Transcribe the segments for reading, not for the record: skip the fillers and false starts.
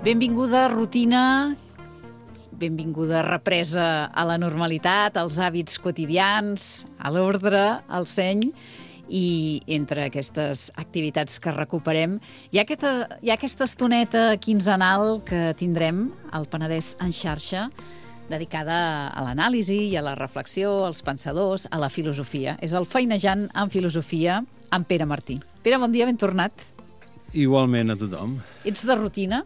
Benvinguda rutina, benvinguda represa a la normalitat, als hàbits quotidians, a l'ordre, al seny, i entre aquestes activitats que recuperem hi ha aquesta estoneta quinzenal que tindrem al Penedès en xarxa, dedicada a l'anàlisi i a la reflexió, als pensadors, a la filosofia. És el Feinejant en Filosofia amb Pere Martí. Pere, bon dia, ben tornat. Igualment a tothom. Ets de rutina?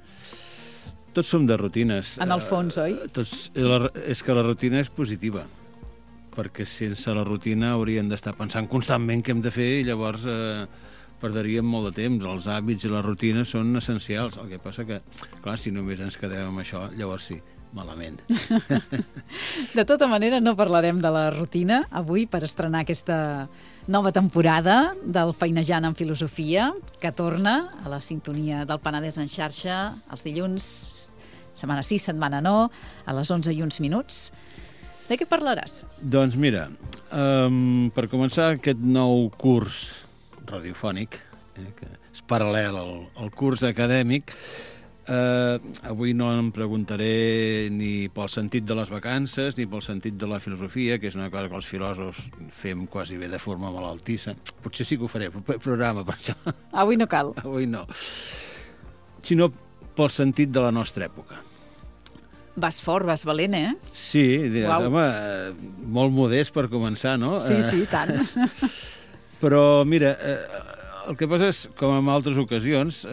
Tots som de rutines. En el fons, oi? És que la rutina és positiva, perquè sense la rutina hauríem d'estar pensant constantment què hem de fer i llavors perdríem molt de temps. Els hàbits i la rutina són essencials. El que passa que, clar, si només ens quedem amb això, llavors sí, malament. De tota manera, no parlarem de la rutina avui per estrenar aquesta nova temporada del Feinejant en Filosofia, que torna a la sintonia del Penedès en xarxa els dilluns, setmana sí, setmana no, a les 11:01. De què parlaràs? Doncs mira, per començar aquest nou curs radiofònic, que és paral·lel al curs acadèmic, avui no em preguntaré ni pel sentit de les vacances ni pel sentit de la filosofia, que és una cosa que els filòsofs fem quasi bé de forma malaltissa. Potser sí que ho faré, programa per això. Avui no cal. Avui no. Sinó pel sentit de la nostra època. Vas fort, vas valent, eh? Sí, home, molt modest per començar, no? Sí, tant. Però, mira, el que passa és, com en altres ocasions,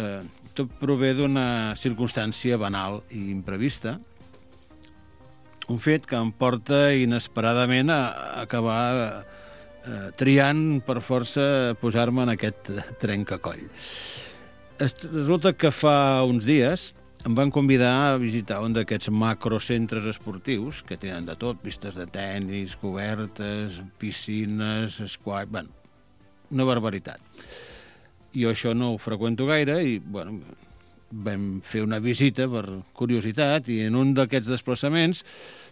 tot prové d'una circumstància banal i imprevista, un fet que em porta inesperadament a acabar triant per força posar-me en aquest trencacoll. Resulta que fa uns dies em van convidar a visitar un d'aquests macrocentres esportius que tenen de tot, pistes de tennis, cobertes, piscines, squash, bueno, una barbaritat. Jo això no ho freqüento gaire i, bueno, vam fer una visita per curiositat i en un d'aquests desplaçaments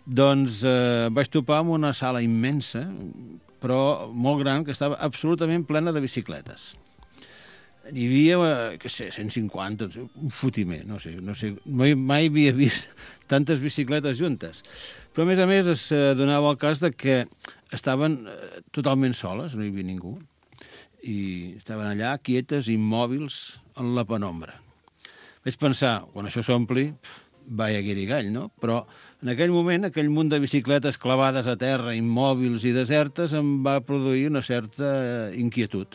doncs vaig topar amb una sala immensa, però molt gran, que estava absolutament plena de bicicletes. Hi havia, què sé, 150, un fotimer, no sé, mai havia vist tantes bicicletes juntes. Però, a més, es donava el cas de que estaven totalment soles, no hi havia ningú, i estaven allà, quietes, immòbils, en la penombra. Vaig pensar, quan això s'ompli, vaya guirigall, no? Però en aquell moment, aquell munt de bicicletes clavades a terra, immòbils i desertes, em va produir una certa inquietud.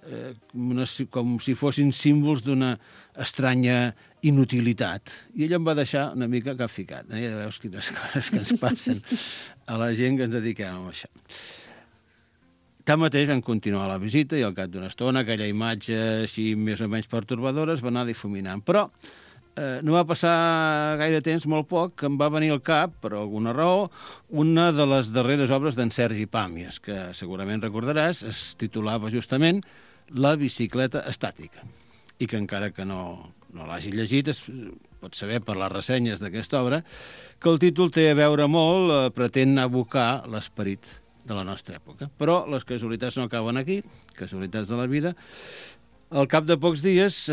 Com si fossin símbols d'una estranya inutilitat. I ell em va deixar una mica capficat. Ja veus quines coses que ens passen a la gent que ens dediquem a això. Tanmateix vam continuar la visita i al cap d'una estona aquella imatge així més o menys pertorbadora es va anar difuminant. Però no va passar gaire temps, molt poc, que em va venir al cap, per alguna raó, una de les darreres obres d'en Sergi Pàmies, que segurament recordaràs, es titulava justament La bicicleta estàtica, i que encara que no l'hagi llegit, es pot saber per les ressenyes d'aquesta obra, que el títol té a veure molt, pretén evocar l'esperit de la nostra època. Però les casualitats no acaben aquí, casualitats de la vida. Al cap de pocs dies,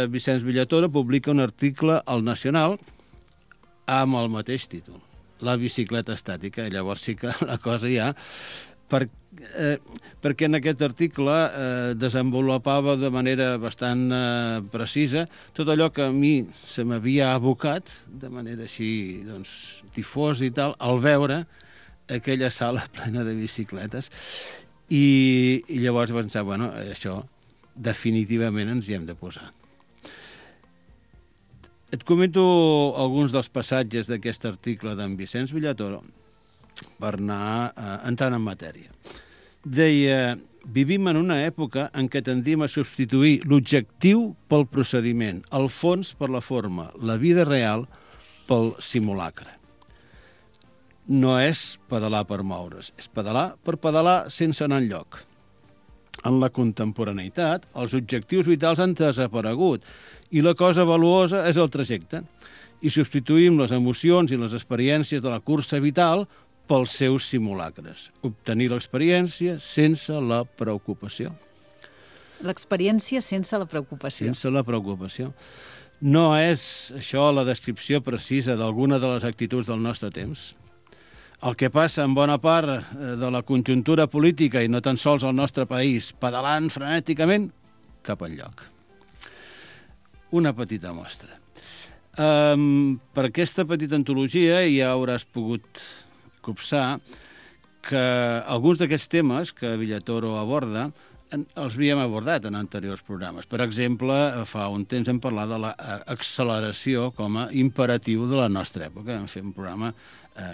Vicenç Villatora publica un article al Nacional amb el mateix títol, La bicicleta estàtica. Llavors sí que la cosa ja... perquè en aquest article desenvolupava de manera bastant precisa tot allò que a mi se m'havia abocat de manera així doncs, difosa i tal, al veure aquella sala plena de bicicletes i llavors vaig pensar, bueno, això definitivament ens hi hem de posar. Et comento alguns dels passatges d'aquest article d'en Vicenç Villatora per anar entrant en matèria. Deia, vivim en una època en què tendim a substituir l'objectiu pel procediment, el fons per la forma, la vida real pel simulacre. No és pedalar per moure's, és pedalar per pedalar sense anar enlloc. En la contemporaneïtat, els objectius vitals han desaparegut i la cosa valuosa és el trajecte. I substituïm les emocions i les experiències de la cursa vital pels seus simulacres. Obtenir l'experiència sense la preocupació. L'experiència sense la preocupació. Sense la preocupació. No és això la descripció precisa d'alguna de les actituds del nostre temps. El que passa en bona part de la conjuntura política, i no tan sols al nostre país, pedalant frenèticament cap enlloc. Una petita mostra. Per aquesta petita antologia ja hauràs pogut copsar que alguns d'aquests temes que Villatoro aborda els havíem abordat en anteriors programes. Per exemple, fa un temps hem parlat de l'acceleració com a imperatiu de la nostra època. Vam fer un programa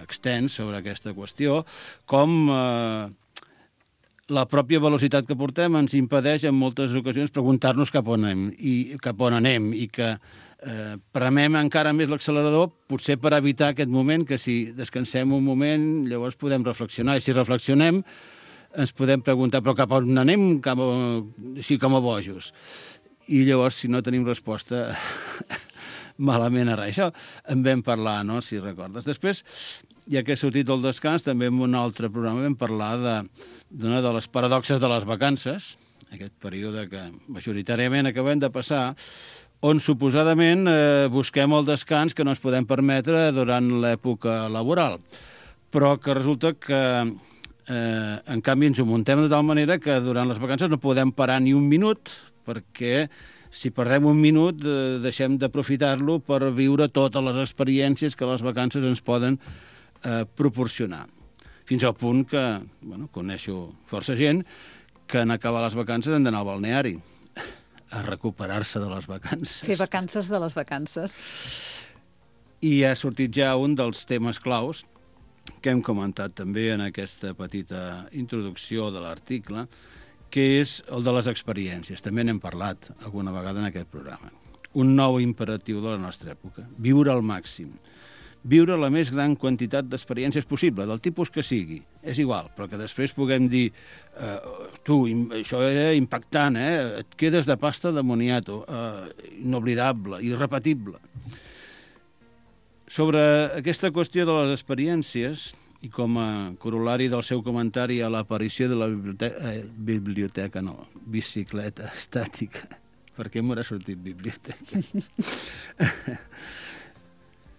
extens sobre aquesta qüestió, com la pròpia velocitat que portem ens impedeix en moltes ocasions preguntar-nos cap on anem i que premem encara més l'accelerador, potser per evitar aquest moment, que si descansem un moment llavors podem reflexionar, i si reflexionem ens podem preguntar però cap on anem, així com a bojos, i llavors si no tenim resposta malament a res. Això en vam parlar, no?, si recordes. Després, ja que he sortit del descans, també en un altre programa vam parlar d'una de les paradoxes de les vacances, aquest període que majoritàriament acabem de passar, on suposadament busquem el descans que no ens podem permetre durant l'època laboral, però que resulta que en canvi ens ho muntem de tal manera que durant les vacances no podem parar ni un minut, perquè si perdem un minut deixem d'aprofitar-lo per viure totes les experiències que les vacances ens poden proporcionar. Fins al punt que, coneixo força gent que en acabar les vacances han d'anar al balneari a recuperar-se de les vacances. Fer vacances de les vacances. I ha sortit ja un dels temes claus que hem comentat també en aquesta petita introducció de l'article, que és el de les experiències. També n'hem parlat alguna vegada en aquest programa. Un nou imperatiu de la nostra època. Viure al màxim. Viure la més gran quantitat d'experiències possible, del tipus que sigui. És igual, però que després puguem dir tu, això era impactant, et quedes de pasta de moniato, inoblidable, irrepetible. Sobre aquesta qüestió de les experiències, i com a corol·lari del seu comentari a l'aparició de la bicicleta estàtica, perquè m'haurà sortit biblioteca.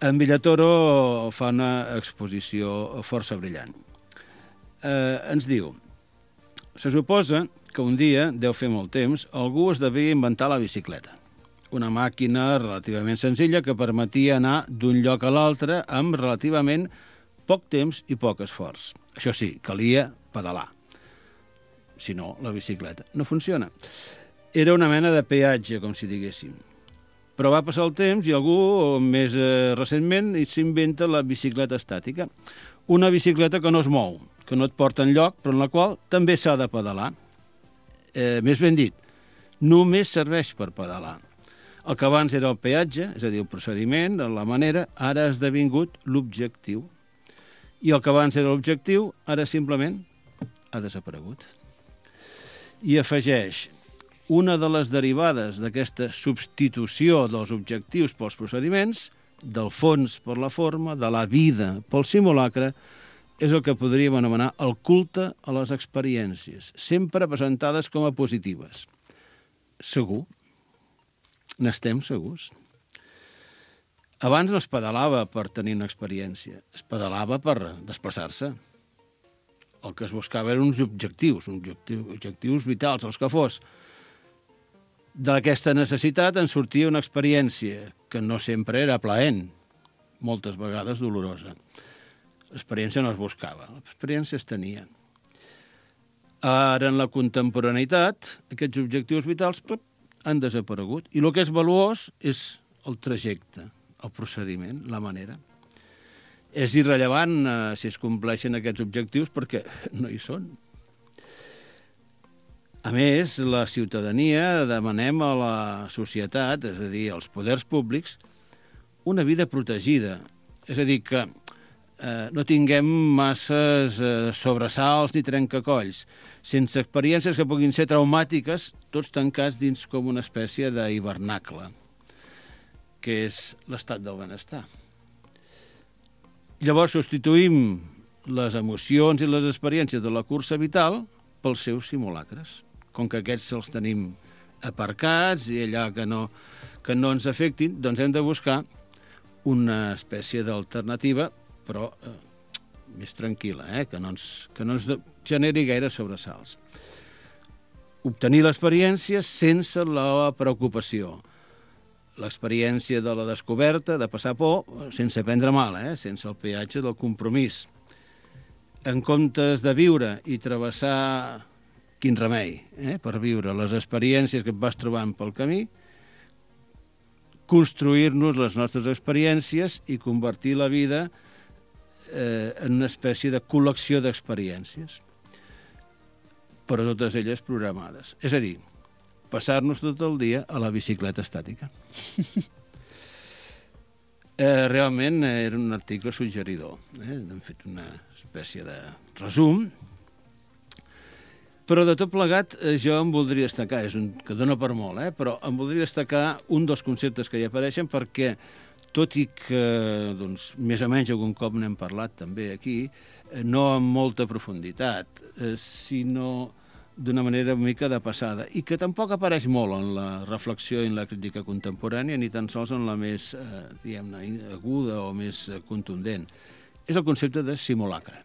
En Villatoro fa una exposició força brillant. Ens diu, se suposa que un dia, deu fer molt temps, algú es devia inventar la bicicleta. Una màquina relativament senzilla que permetia anar d'un lloc a l'altre amb relativament poc temps i poc esforç. Això sí, calia pedalar. Si no, la bicicleta no funciona. Era una mena de peatge, com si diguéssim. Però va passar el temps i algú, més recentment, s'inventa la bicicleta estàtica. Una bicicleta que no es mou, que no et porta enlloc, però en la qual també s'ha de pedalar. Més ben dit, només serveix per pedalar. El que abans era el peatge, és a dir, el procediment, la manera, ara ha esdevingut l'objectiu. I el que abans era l'objectiu, ara simplement ha desaparegut. I afegeix, una de les derivades d'aquesta substitució dels objectius pels procediments, del fons per la forma, de la vida pel simulacre, és el que podríem anomenar el culte a les experiències, sempre presentades com a positives. Segur? N'estem segurs? Abans no es pedalava per tenir una experiència, es pedalava per desplaçar-se. El que es buscava eren uns objectius vitals, els que fos. D'aquesta necessitat en sortia una experiència que no sempre era plaent, moltes vegades dolorosa. L'experiència no es buscava, l'experiència es tenia. Ara, en la contemporaneïtat, aquests objectius vitals han desaparegut. I el que és valuós és el trajecte, el procediment, la manera. És irrellevant si es compleixen aquests objectius perquè no hi són. A més, la ciutadania demanem a la societat, és a dir, als poders públics, una vida protegida. És a dir, que no tinguem masses sobresalts ni trencacolls, sense experiències que puguin ser traumàtiques, tots tancats dins com una espècie d'hivernacle, que és l'estat del benestar. Llavors substituïm les emocions i les experiències de la cursa vital pels seus simulacres. Com que aquests els tenim aparcats i allà que no ens afectin, doncs hem de buscar una espècie d'alternativa, però més tranquil·la, que no ens generi gaire sobresalts. Obtenir l'experiència sense la preocupació. L'experiència de la descoberta, de passar por, sense prendre mal, sense el peatge del compromís. En comptes de viure i travessar, quin remei, per viure les experiències que et vas trobant pel camí, construir-nos les nostres experiències i convertir la vida en una espècie de col·lecció d'experiències, però totes elles programades. És a dir, passar-nos tot el dia a la bicicleta estàtica. Realment era un article suggeridor. Hem fet una espècie de resum, però de tot plegat jo em voldria destacar, que dona per molt, però em voldria destacar un dels conceptes que hi apareixen perquè, tot i que més o menys algun cop n'hem parlat també aquí, no amb molta profunditat, sinó d'una manera una mica de passada, i que tampoc apareix molt en la reflexió i en la crítica contemporània, ni tan sols en la més, diguem-ne, aguda o més contundent. És el concepte de simulacre.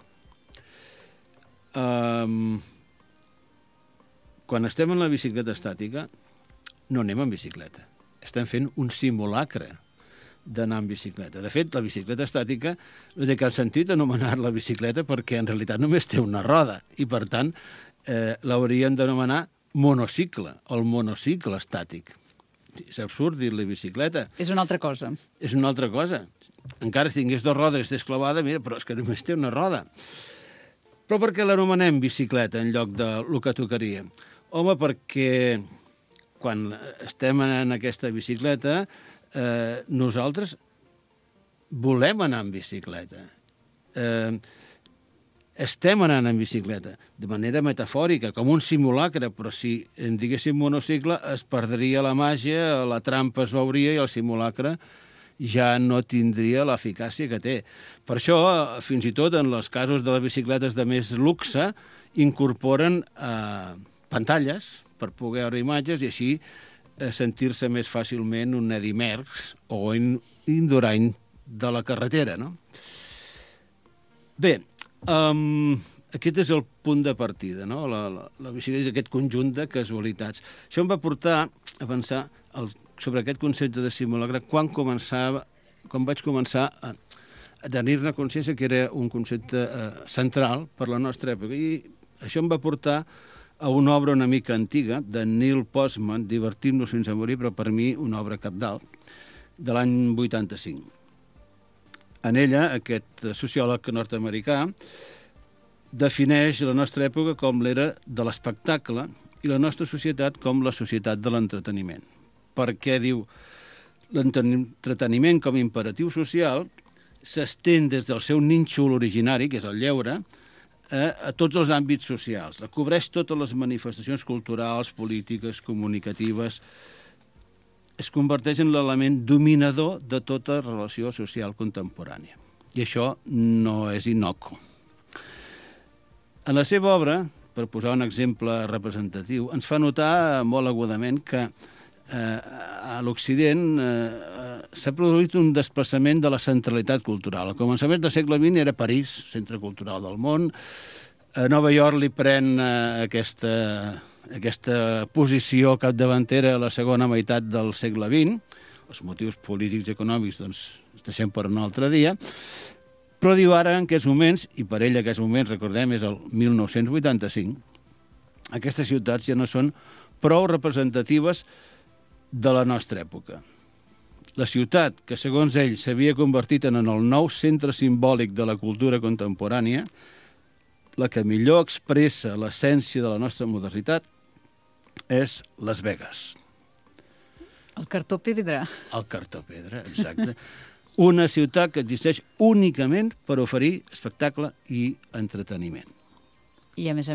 Quan estem en la bicicleta estàtica, no anem en bicicleta. Estem fent un simulacre d'anar en bicicleta. De fet, la bicicleta estàtica no té cap sentit anomenar-la bicicleta perquè en realitat només té una roda i, per tant, l'hauríem d'anomenar monocicle, el monocicle estàtic. És absurd dir-li bicicleta. És una altra cosa. És una altra cosa. Encara si tingués 2 rodes desclavada, mira, però és que només té una roda. Però per què l'anomenem bicicleta en lloc del que tocaria? Home, perquè quan estem en aquesta bicicleta nosaltres volem anar en bicicleta. Estem anant en bicicleta, de manera metafòrica, com un simulacre, però si en diguéssim monocicle es perdria la màgia, la trampa es veuria i el simulacre ja no tindria l'eficàcia que té. Per això, fins i tot en els casos de les bicicletes de més luxe, incorporen pantalles per poder veure imatges i així sentir-se més fàcilment un Eddy Merckx o un Indurain de la carretera, no? Bé, aquest és el punt de partida, no? La bicicleta és aquest conjunt de casualitats. Això em va portar a pensar sobre aquest concepte de simulacre quan vaig començar a tenir-ne consciència que era un concepte central per la nostra època. I això em va portar a una obra una mica antiga, de Neil Postman, Divertim-nos fins a morir, però per mi una obra cabdal, de l'any 85. En ella, aquest sociòleg nord-americà defineix la nostra època com l'era de l'espectacle i la nostra societat com la societat de l'entreteniment. Perquè, diu, l'entreteniment com a imperatiu social s'estén des del seu nínxol originari, que és el lleure, a tots els àmbits socials. Recobreix totes les manifestacions culturals, polítiques, comunicatives. Es converteix en l'element dominador de tota relació social contemporània. I això no és innocu. En la seva obra, per posar un exemple representatiu, ens fa notar molt agudament que a l'Occident s'ha produït un desplaçament de la centralitat cultural. Al començament del segle XX era París, centre cultural del món. A Nova York li pren aquesta posició capdavantera a la segona meitat del segle XX. Els motius polítics i econòmics, doncs, els deixem per un altre dia. Però diu ara, en aquests moments, i per ell aquests moments, recordem, és el 1985, aquestes ciutats ja no són prou representatives de la nostra època. La ciutat, que segons ell s'havia convertit en el nou centre simbòlic de la cultura contemporània, la que millor expressa l'essència de la nostra modernitat, és Las Vegas. El cartó pedra. El cartó pedra, exacte. Una ciutat que existeix únicament per oferir espectacle i entreteniment. I, a més,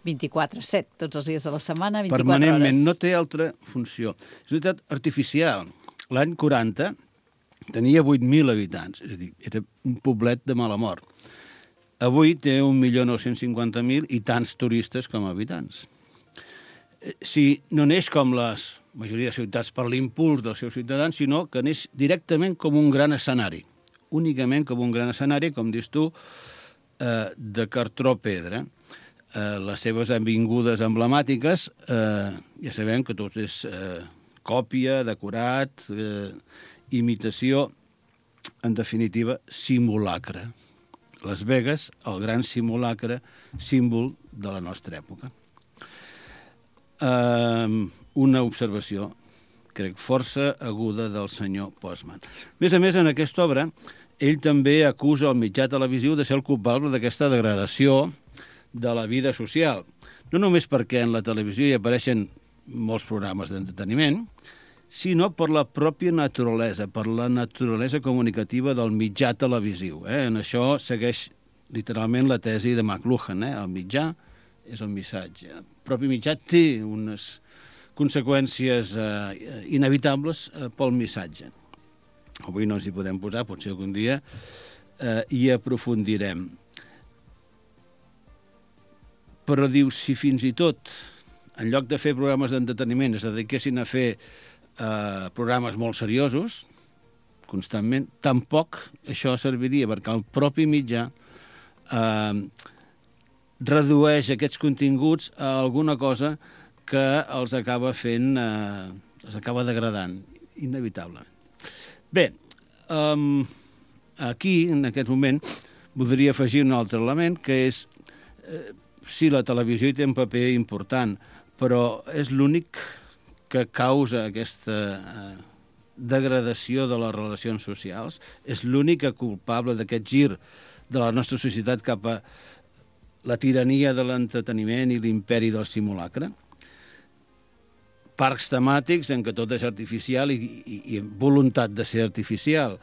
24/7, tots els dies de la setmana, 24 permanentment, hores. no té altra funció. És una ciutat artificial. L'any 40 tenia 8.000 habitants, és a dir, era un poblet de mala mort. Avui té 1.950.000 i tants turistes com habitants. si no neix com la majoria de ciutats per l'impuls dels seus ciutadans, sinó que neix directament com un gran escenari, únicament com un gran escenari, com dius tu, de cartró pedra. Les seves avingudes emblemàtiques, ja sabem que tot és còpia, decorat, imitació, en definitiva, simulacre. Las Vegas, el gran simulacre, símbol de la nostra època. Una observació, crec, força aguda del senyor Postman. A més, en aquesta obra, ell també acusa el mitjà televisiu de ser el culpable d'aquesta degradació de la vida social. No només perquè en la televisió hi apareixen molts programes d'entreteniment, sinó per la pròpia naturalesa, per la naturalesa comunicativa del mitjà televisiu. En això segueix literalment la tesi de McLuhan. El mitjà és el missatge. El propi mitjà té unes conseqüències inevitables pel missatge. Avui no ens hi podem posar, potser algun dia hi aprofundirem. Però diu, si fins i tot, en lloc de fer programes d'entreteniment, es dediquessin a fer programes molt seriosos, constantment, tampoc això serviria, perquè el propi mitjà redueix aquests continguts a alguna cosa que els acaba fent, els acaba degradant, inevitable. Bé, aquí, en aquest moment, voldria afegir un altre element, que és, sí, la televisió hi té un paper important, però és l'únic que causa aquesta degradació de les relacions socials, és l'única culpable d'aquest gir de la nostra societat cap a la tirania de l'entreteniment i l'imperi del simulacre. Parcs temàtics en què tot és artificial i voluntat de ser artificial.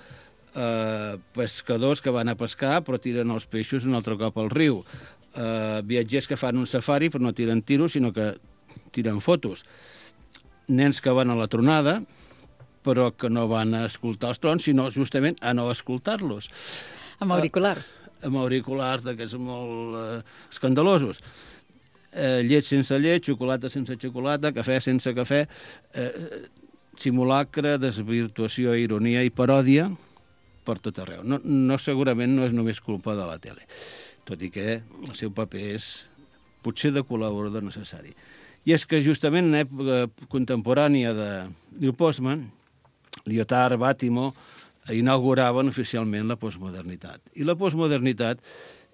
Pescadors que van a pescar però tiren els peixos un altre cop al riu. Viatgers que fan un safari però no tiren tiros, sinó que tiren fotos. Nens que van a la tronada però que no van a escoltar els trons, sinó justament a no escoltar-los. Amb auriculars. Amb auriculars d'aquests molt escandalosos. Llet sense llet, xocolata sense xocolata, cafè sense cafè, simulacre, desvirtuació, ironia i paròdia per tot arreu. No, segurament no és només culpa de la tele, tot i que el seu paper és potser de col·laborador necessari. I és que justament en època contemporània de Neil Postman, Lyotard, Bátimo, inauguraven oficialment la postmodernitat. I la postmodernitat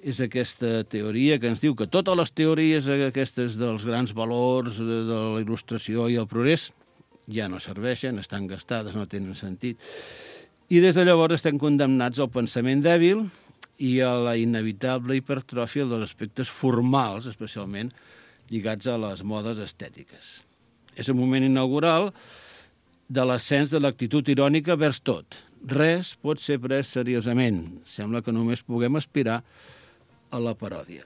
és aquesta teoria que ens diu que totes les teories aquestes dels grans valors, de la il·lustració i el progrés, ja no serveixen, estan gastades, no tenen sentit. I des de llavors estem condemnats al pensament dèbil i a la inevitable hipertròfia dels aspectes formals, especialment lligats a les modes estètiques. És un moment inaugural de l'ascens de l'actitud irònica vers tot. Res pot ser pres seriosament. Sembla que només puguem aspirar a la paròdia.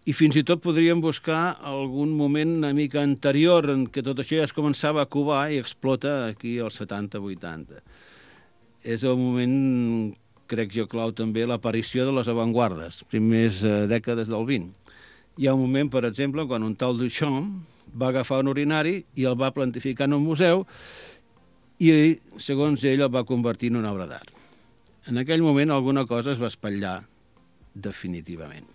I fins i tot podríem buscar algun moment una mica anterior en què tot això ja es començava a covar i explota aquí als 70-80. És el moment, crec jo, clau també, l'aparició de les avantguardes, primers dècades del 20. Hi ha un moment, per exemple, quan un tal Duchamp va agafar un urinari i el va plantificar en un museu i, segons ell, el va convertir en una obra d'art. En aquell moment alguna cosa es va espatllar definitivament.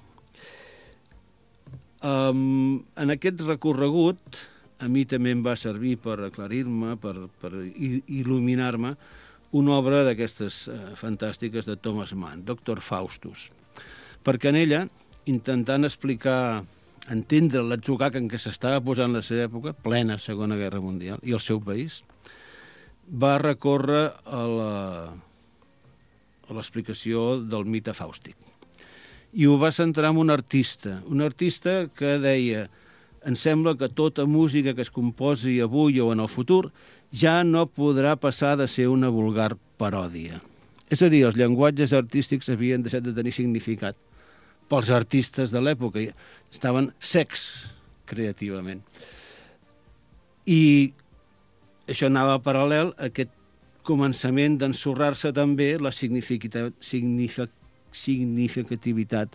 En aquest recorregut, a mi també em va servir per aclarir-me, per il·luminar-me, una obra d'aquestes fantàstiques de Thomas Mann, Dr. Faustus, perquè en ella, intentant explicar, entendre l'atzucac en què s'estava posant la seva època, plena Segona Guerra Mundial, i el seu país, va recórrer a l'explicació del mite fàustic. I ho va centrar en un artista que deia: em sembla que tota música que es composi avui o en el futur ja no podrà passar de ser una vulgar paròdia. És a dir, els llenguatges artístics havien deixat de tenir significat pels artistes de l'època, estaven secs creativament. I això anava paral·lel a aquest començament d'ensorrar-se també la significativitat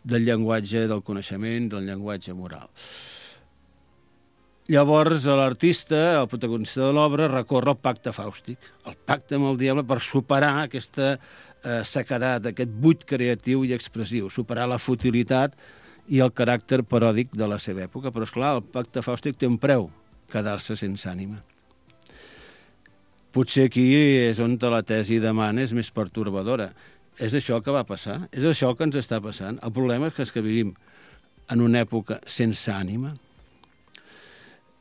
del llenguatge del coneixement, del llenguatge moral. Llavors l'artista, el protagonista de l'obra, recorre al pacte fàustic, el pacte amb el diable per superar aquesta sequedat, aquest buit creatiu i expressiu, superar la futilitat i el caràcter paròdic de la seva època. Però, esclar, el pacte fàustic té un preu, quedar-se sense ànima. Potser aquí és on la tesi de Mann és més pertorbadora. És això que va passar? És això que ens està passant? El problema és que vivim en una època sense ànima.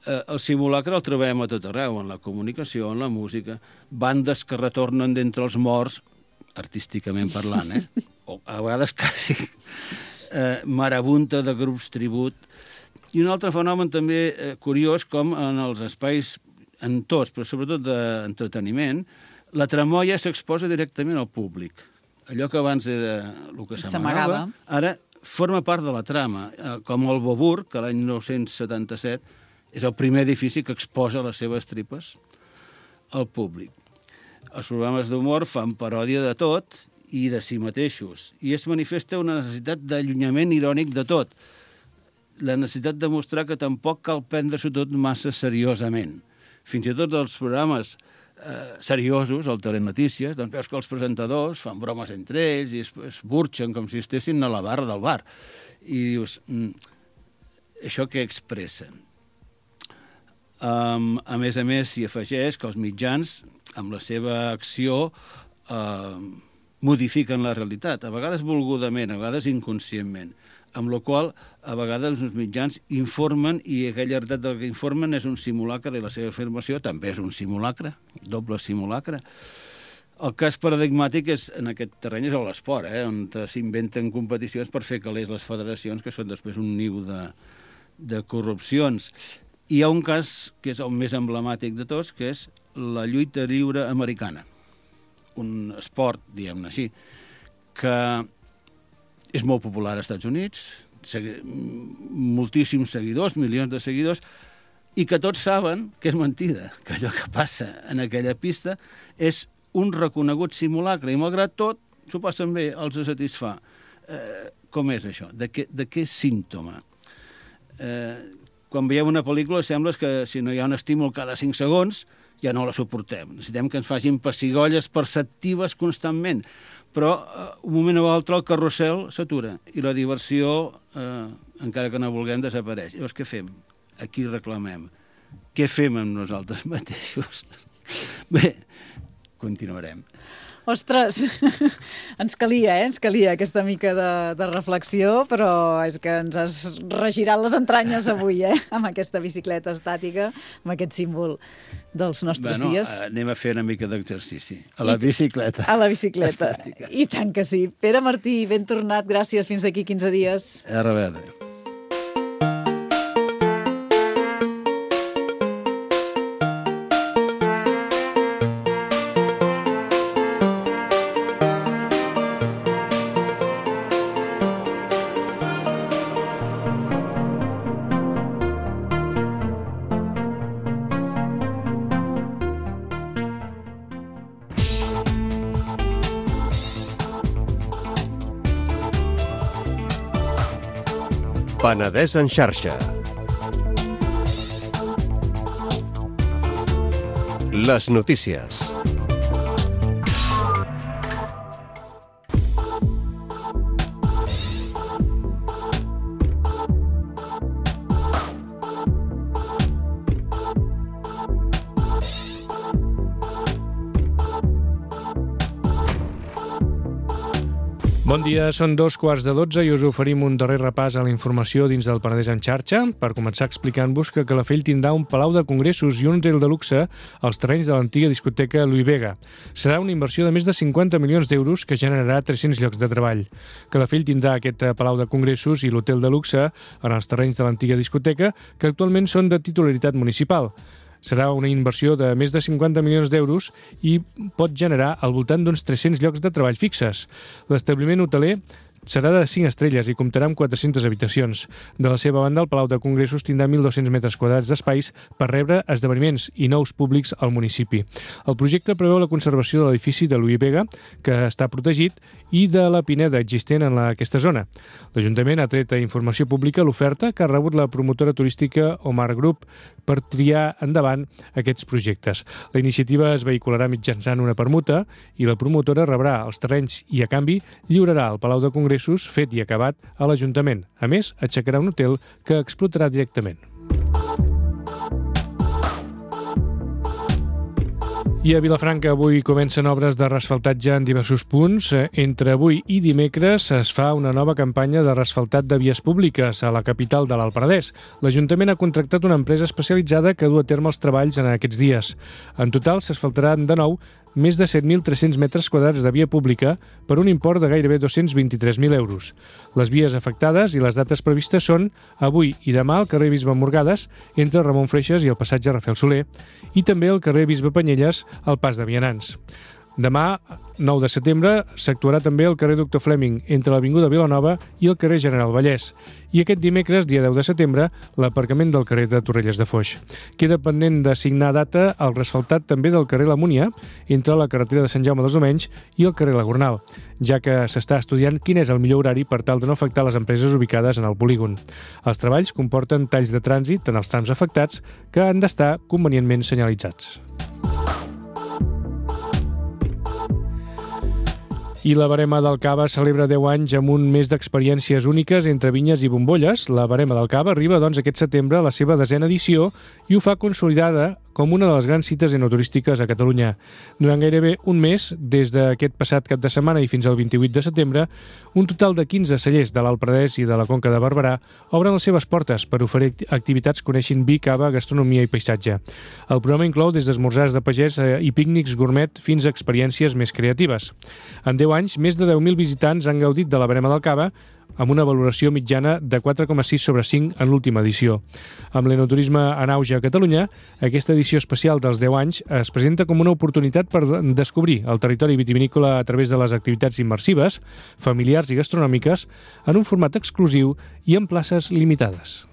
El simulacre el trobem a tot arreu, en la comunicació, en la música, bandes que retornen d'entre els morts, artísticament parlant, o a vegades quasi marabunta de grups tribut. I un altre fenomen també curiós, com en els espais, en tots, però sobretot d'entreteniment, la tramoia s'exposa directament al públic. Allò que abans era el que s'amagava, ara forma part de la trama, com el Beaubourg, que l'any 1977 és el primer edifici que exposa les seves tripes al públic. Els programes d'humor fan paròdia de tot i de si mateixos, i es manifesta una necessitat d'allunyament irònic de tot, la necessitat de mostrar que tampoc cal prendre-s'ho tot massa seriosament. Fins i tot els programes seriosos, el Telenotícies, doncs veus que els presentadors fan bromes entre ells i es burxen com si estessin a la barra del bar. I dius, això què expressa? A més, s'hi afegeix que els mitjans, amb la seva acció, modifiquen la realitat, a vegades volgudament, a vegades inconscientment, amb la qual a vegades els mitjans informen i aquella realitat del que informen és un simulacre i la seva afirmació també és un simulacre, doble simulacre. El cas paradigmàtic en aquest terreny és l'esport, on s'inventen competicions per fer calés les federacions, que són després un niu de corrupcions. Hi ha un cas que és el més emblemàtic de tots, que és la lluita lliure americana. Un esport, diguem-ne així, que és molt popular als Estats Units, moltíssims seguidors, milions de seguidors, i que tots saben que és mentida, que allò que passa en aquella pista és un reconegut simulacre, i malgrat tot s'ho passen bé, els satisfà. Com és això? De què és símptoma? Quan veiem una pel·lícula sembla que si no hi ha un estímul cada 5 segons ja no la suportem. Necessitem que ens facin pessigolles perceptives constantment. Però un moment o altre el carrusel s'atura i la diversió, encara que no vulguem, desapareix. Llavors, què fem? A qui reclamem? Què fem amb nosaltres mateixos? Bé, continuarem. Ostres, ens calia aquesta mica de reflexió, però és que ens has regirat les entranyes avui, amb aquesta bicicleta estàtica, amb aquest símbol dels nostres dies. Anem a fer una mica d'exercici. A la bicicleta. A la bicicleta. Estàtica. I tant que sí. Pere Martí, ben tornat. Gràcies. Fins d'aquí 15 dies. A reveure. Penedès en xarxa. Les notícies. Bon dia, són 2:15 i us oferim un darrer repàs a la informació dins del Penedès en xarxa. Per començar explicant-vos que Calafell tindrà un palau de congressos i un hotel de luxe als terrenys de l'antiga discoteca Louis Vega. Serà una inversió de més de 50 milions d'euros que generarà 300 llocs de treball. Calafell tindrà aquest palau de congressos i l'hotel de luxe en els terrenys de l'antiga discoteca, que actualment són de titularitat municipal. Serà una inversió de més de 50 milions d'euros i pot generar al voltant d'uns 300 llocs de treball fixes. L'establiment hoteler serà de 5 estrelles i comptarà amb 400 habitacions. De la seva banda, el Palau de Congressos tindrà 1.200 metres quadrats d'espais per rebre esdeveniments i nous públics al municipi. El projecte preveu la conservació de l'edifici de Louis Vega, que està protegit, i de la pineda existent en aquesta zona. L'Ajuntament ha tret a informació pública l'oferta que ha rebut la promotora turística Omar Group per triar endavant aquests projectes. La iniciativa es vehicularà mitjançant una permuta i la promotora rebrà els terrenys i, a canvi, lliurarà el Palau de Congressos fet i acabat a l'Ajuntament. A més, aixecarà un hotel que explotarà directament. I a Vilafranca avui comencen obres de reasfaltatge en diversos punts. Entre avui i dimecres es fa una nova campanya de reasfaltat de vies públiques a la capital de l'Alt Penedès. L'Ajuntament ha contractat una empresa especialitzada que du a terme els treballs en aquests dies. En total s'asfaltaran de nou més de 7.300 metres quadrats de via pública per un import de gairebé 223.000 euros. Les vies afectades i les dates previstes són avui i demà al carrer Bisbe Morgades, entre Ramon Freixas i el passatge Rafael Soler, i també al carrer Bisbe Panyelles, al pas de Vianants. Demà, 9 de setembre, s'actuarà també al carrer Doctor Fleming, entre l'Avinguda Vilanova i el carrer General Vallès. I aquest dimecres, dia 10 de setembre, l'aparcament del carrer de Torrelles de Foix. Queda pendent de signar data el reasfaltat també del carrer La Múnia, entre la carretera de Sant Jaume dels Domenys i el carrer La Gornal, ja que s'està estudiant quin és el millor horari per tal de no afectar les empreses ubicades en el polígon. Els treballs comporten talls de trànsit en els trams afectats que han d'estar convenientment senyalitzats. I la Verema del Cava celebra 10 anys amb un mes d'experiències úniques entre vinyes i bombolles. La Verema del Cava arriba, doncs, aquest setembre a la seva 10ª edició i ho fa consolidada com una de les grans cites enoturístiques a Catalunya. Durant gairebé un mes, des d'aquest passat cap de setmana i fins al 28 de setembre, un total de 15 cellers de l'Alt Penedès i de la Conca de Barberà obren les seves portes per oferir activitats coneixent vi, cava, gastronomia i paisatge. El programa inclou des d'esmorzars de pagès i pícnics gourmet fins a experiències més creatives. En 10 anys, més de 10.000 visitants han gaudit de la Verema del Cava, amb una valoració mitjana de 4,6 sobre 5 en l'última edició. Amb l'enoturisme en auge a Catalunya, aquesta edició especial dels 10 anys es presenta com una oportunitat per descobrir el territori vitivinícola a través de les activitats immersives, familiars i gastronòmiques, en un format exclusiu i en places limitades.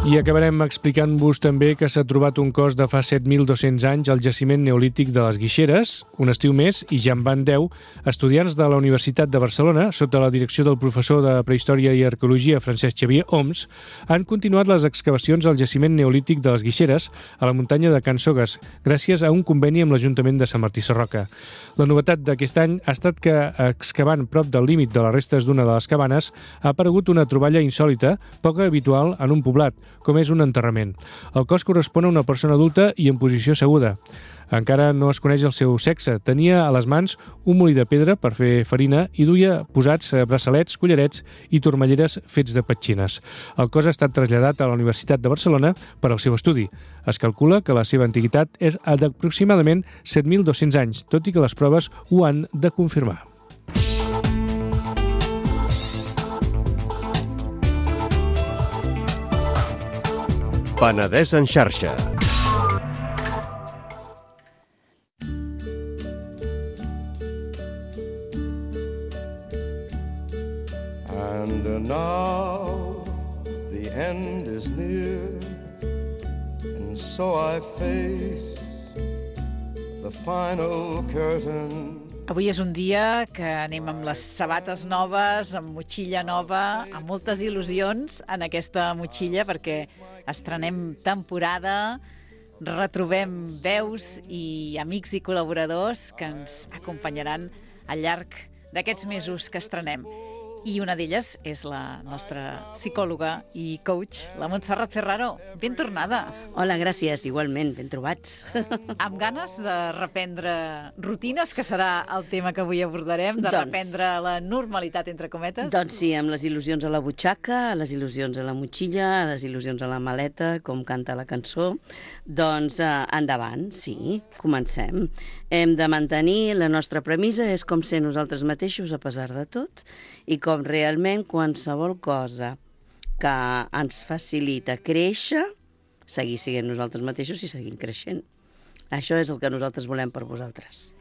I acabarem explicant-vos també que s'ha trobat un cos de fa 7.200 anys al jaciment neolític de les Guixeres. Un estiu més, i ja en van 10, estudiants de la Universitat de Barcelona, sota la direcció del professor de Prehistòria i Arqueologia Francesc Xavier Homs, han continuat les excavacions al jaciment neolític de les Guixeres, a la muntanya de Can Sogues, gràcies a un conveni amb l'Ajuntament de Sant Martí Sarroca. La novetat d'aquest any ha estat que, excavant prop del límit de les restes d'una de les cabanes, ha aparegut una troballa insòlita, poc habitual en un poblat, com és un enterrament. El cos correspon a una persona adulta i en posició asseguda. Encara no es coneix el seu sexe. Tenia a les mans un molí de pedra per fer farina i duia posats braçalets, collarets i turmalleres fets de petxines. El cos ha estat traslladat a la Universitat de Barcelona per al seu estudi. Es calcula que la seva antiguitat és d'aproximadament 7.200 anys, tot i que les proves ho han de confirmar. Penedès en xarxa. And now the end is near, and so I face the final curtain. Avui és un dia que anem amb les sabates noves, amb motxilla nova, amb moltes il·lusions en aquesta motxilla perquè estrenem temporada, retrobem veus i amics i col·laboradors que ens acompanyaran al llarg d'aquests mesos que estrenem. I una d'elles és la nostra psicòloga i coach, la Montserrat Ferraro. Ben tornada. Hola, gràcies, igualment, ben trobats. Amb ganes de reprendre rutines, que serà el tema que avui abordarem, de reprendre la normalitat, entre cometes? Doncs sí, amb les il·lusions a la butxaca, les il·lusions a la motxilla, les il·lusions a la maleta, com canta la cançó. Doncs endavant, sí, comencem. Hem de mantenir la nostra premissa, és com ser nosaltres mateixos a pesar de tot, i com realment qualsevol cosa que ens facilita créixer, seguir sent nosaltres mateixos i seguim creixent. Això és el que nosaltres volem per vosaltres.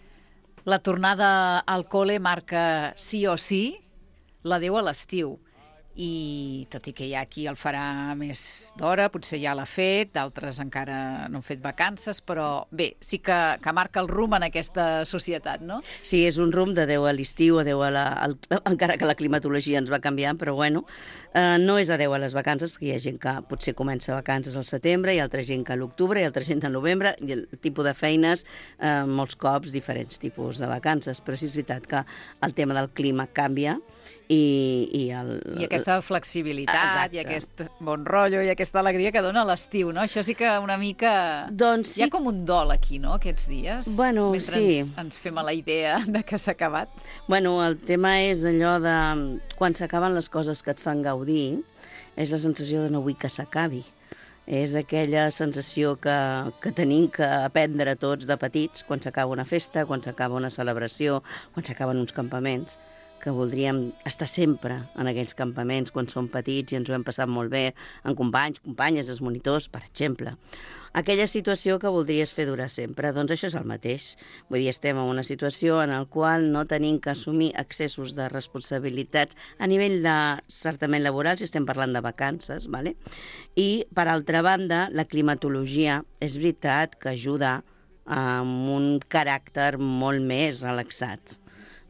La tornada al col·le marca sí o sí l'adeu a l'estiu. I tot i que hi ha qui el farà més d'hora, potser ja l'ha fet, d'altres encara no han fet vacances, però bé, sí que marca el rumb en aquesta societat, no? Sí, és un rumb d'adeu a l'estiu, encara que la climatologia ens va canviant, però bueno, no és adeu a les vacances, perquè hi ha gent que potser comença vacances al setembre, hi ha altra gent que a l'octubre, hi ha altra gent al novembre, i el tipus de feines, molts cops, diferents tipus de vacances, però sí és veritat que el tema del clima canvia, i aquesta flexibilitat, exacte. I aquest bon rotllo i aquesta alegria que dona l'estiu, no? Això sí que una mica... Doncs sí. Hi ha com un dol aquí, no?, aquests dies. Bueno, mentre sí. ens fem a la idea de que s'ha acabat. Bueno, el tema és allò de... Quan s'acaben les coses que et fan gaudir, és la sensació de no vull que s'acabi. És aquella sensació que tenim que aprendre tots de petits, quan s'acaba una festa, quan s'acaba una celebració, quan s'acaben uns campaments, que voldríem estar sempre en aquells campaments quan som petits i ens ho hem passat molt bé, amb companys, companyes, els monitors, per exemple. Aquella situació que voldries fer durar sempre, doncs això és el mateix. Vull dir, estem en una situació en la qual no tenim que assumir excessos de responsabilitats a nivell de certament laboral, si estem parlant de vacances, ¿vale? I, per altra banda, la climatologia és veritat que ajuda amb un caràcter molt més relaxat.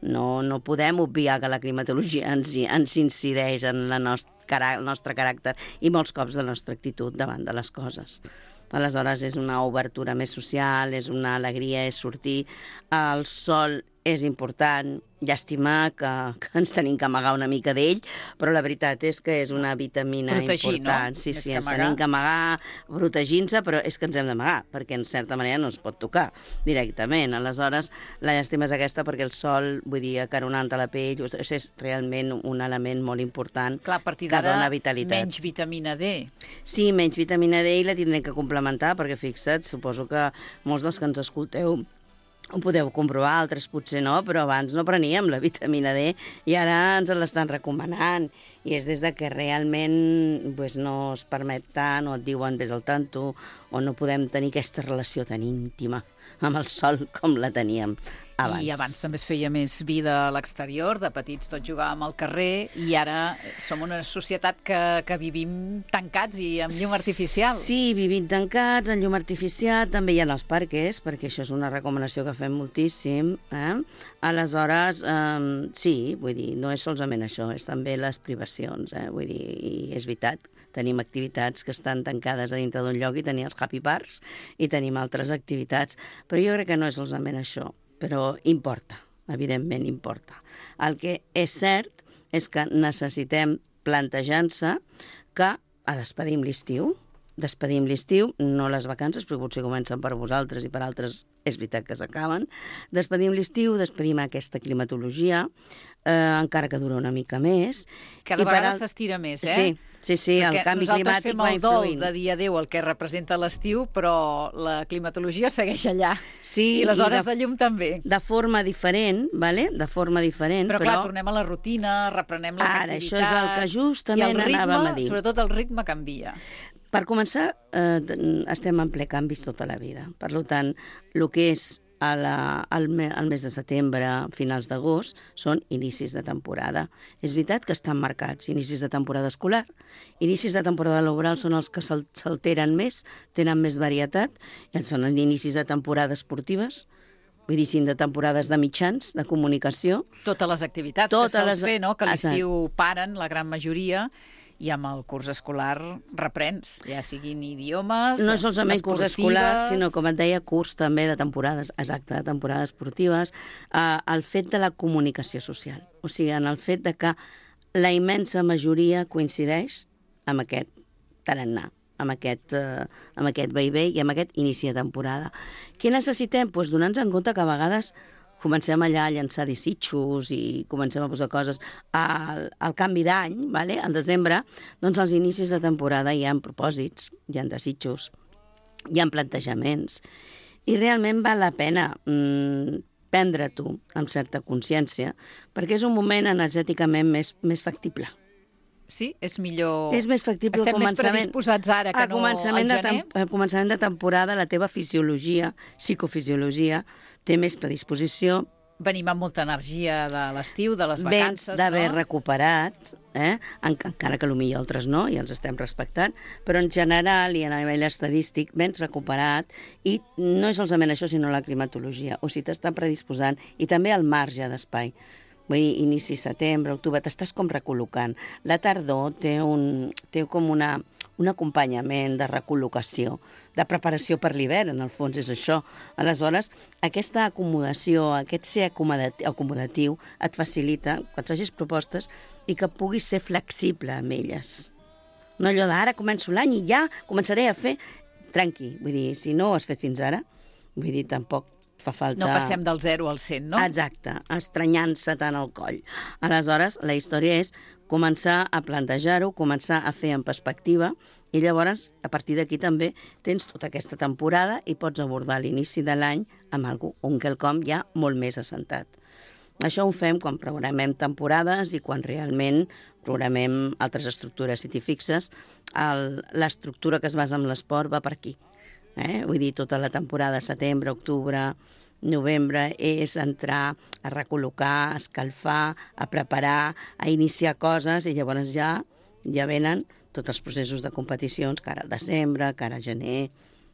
No podem obviar que la climatologia ens incideix en el nostre caràcter i molts cops la nostra actitud davant de les coses. Aleshores, és una obertura més social, és una alegria, és sortir. El sol és important, llàstima que ens tenim que amagar una mica d'ell, però la veritat és que és una vitamina important. No? Sí, ens tenim que amagar protegint-se, però és que ens hem d'amagar, perquè en certa manera no es pot tocar directament. Aleshores, la llàstima és aquesta perquè el sol, vull dir, acaronant a la pell, és realment un element molt important. Clar, a partir que d'ara, dona vitalitat. menys vitamina D. Sí, menys vitamina D i la tindrem que complementar, perquè fixa't, suposo que molts dels que ens escolteu ho podeu comprovar, altres potser no, però abans no preníem la vitamina D i ara ens l'estan recomanant. I és des de que realment pues, no es permet tant, o et diuen vés al tanto, o no podem tenir aquesta relació tan íntima amb el sol com la teníem abans. I abans també es feia més vida a l'exterior, de petits tots jugàvem al carrer, i ara som una societat que vivim tancats i amb llum artificial. Sí, vivim tancats, amb llum artificial, també hi ha els parques, perquè això és una recomanació que fem moltíssim. Aleshores, sí, vull dir, no és solament això, és també les privacions, vull dir, i és veritat, tenim activitats que estan tancades a dintre d'un lloc i tenim els happy parks i tenim altres activitats, però jo crec que no és solament això, però importa, evidentment importa. El que és cert és que necessitem plantejar-se que despedim l'estiu, no les vacances, perquè potser comencen per vosaltres i per altres és veritat que s'acaben, despedim l'estiu, despedim aquesta climatologia, encara que dura una mica més. Cada vegada s'estira més, Sí, el canvi climàtic va influint. Nosaltres fem el dol de dir adéu al que representa l'estiu, però la climatologia segueix allà. Sí, i les hores de llum també. De forma diferent, ¿vale? De forma diferent, però... clar, tornem a la rutina, reprenem les activitats... Ara, això és el que justament anàvem a dir. Sobretot el ritme canvia. Per començar, estem en ple canvis tota la vida. Per tant, el que és al mes de setembre, finals d'agost, són inicis de temporada. És veritat que estan marcats inicis de temporada escolar, inicis de temporada laboral són els que s'alteren més, tenen més varietat, i són els inicis de temporada esportives, vull dir, de temporades de mitjans, de comunicació. Totes les activitats que sols fer, no? Que a l'estiu paren, la gran majoria, i amb el curs escolar reprens, ja siguin idiomes, no solament curs escolar, sinó, com et deia, curs també de temporades, exacte, de temporades esportives, el fet de la comunicació social, o sigui, en el fet de que la immensa majoria coincideix amb aquest tarannà, amb aquest vaivé i amb aquest inici de temporada. Què necessitem? Doncs donar-nos en compte que a vegades comencem allà a llançar desitjos i comencem a posar coses al canvi d'any, ¿vale? Al desembre, doncs als inicis de temporada hi ha propòsits, hi ha desitjos, hi ha plantejaments, i realment val la pena prendre-t'ho amb certa consciència, perquè és un moment energèticament més factible. Sí? És millor... És més factible Estem més predisposats ara que no al gener? A començament de temporada, la teva fisiologia, psicofisiologia, té més predisposició. Venim amb molta energia de l'estiu, de les vacances, Vens d'haver no? recuperat, encara que potser altres no, i els estem respectant, però en general i a nivell estadístic vens recuperat i no és solament això, sinó la climatologia, o sigui, t'està predisposant, i també el marge d'espai. Vull dir, inici setembre, octubre, t'estàs com recol·locant. La tardor té com un acompanyament de recol·locació, de preparació per l'hivern, en el fons és això. Aleshores, aquesta acomodació, aquest ser acomodatiu, et facilita que et facis propostes i que puguis ser flexible amb elles. No allò d'ara començo l'any i ja començaré a fer... Tranqui, vull dir, si no ho has fet fins ara, vull dir, tampoc fa falta... No passem del 0 al 100, no? Exacte, estranyant-se tant el coll. Aleshores, la història és començar a plantejar-ho, començar a fer en perspectiva, i llavors, a partir d'aquí també, tens tota aquesta temporada i pots abordar l'inici de l'any amb un quelcom ja molt més assentat. Això ho fem quan programem temporades i quan realment programem altres estructures. Si t'hi fixes, l'estructura que es basa en l'esport va per aquí. Vull dir, tota la temporada, setembre, octubre, novembre, és entrar a recol·locar, a escalfar, a preparar, a iniciar coses, i llavors ja venen tots els processos de competicions, cara al desembre, cara a gener.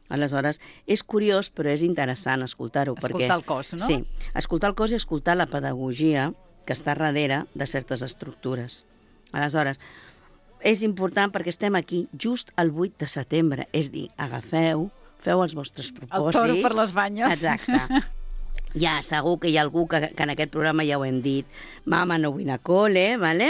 Aleshores, és curiós, però és interessant escoltar-ho. Escoltar el cos, no? Sí, escoltar el cos i escoltar la pedagogia que està darrere de certes estructures. Aleshores, és important perquè estem aquí just el 8 de setembre, és dir, feu els vostres propòsits. El toro per les banyes. Exacte. Ja, segur que hi ha algú que en aquest programa ja ho hem dit, mama, no vull anar a col·le, ¿vale?